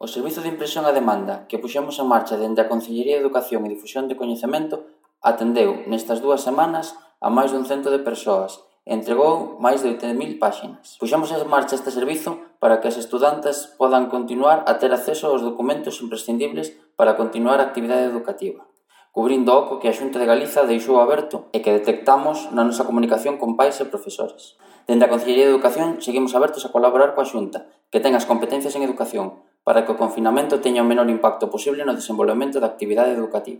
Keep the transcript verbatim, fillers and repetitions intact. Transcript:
O Servizo de Impresión a Demanda que puxemos en marcha dende a Consellería de Educación e Difusión de Coñecemento atendeu nestas dúas semanas a máis dun cento de persoas e entregou máis de oito mil páxinas. Puxemos en marcha este servizo para que as estudantes podan continuar a ter acceso aos documentos imprescindibles para continuar a actividade educativa, cubrindo o oco que a Xunta de Galiza deixou aberto e que detectamos na nosa comunicación con pais e profesores. Dende a Consellería de Educación seguimos abertos a colaborar coa Xunta, que ten as competencias en educación, para que o confinamento teña o menor impacto posible no desenvolvemento da actividade educativa.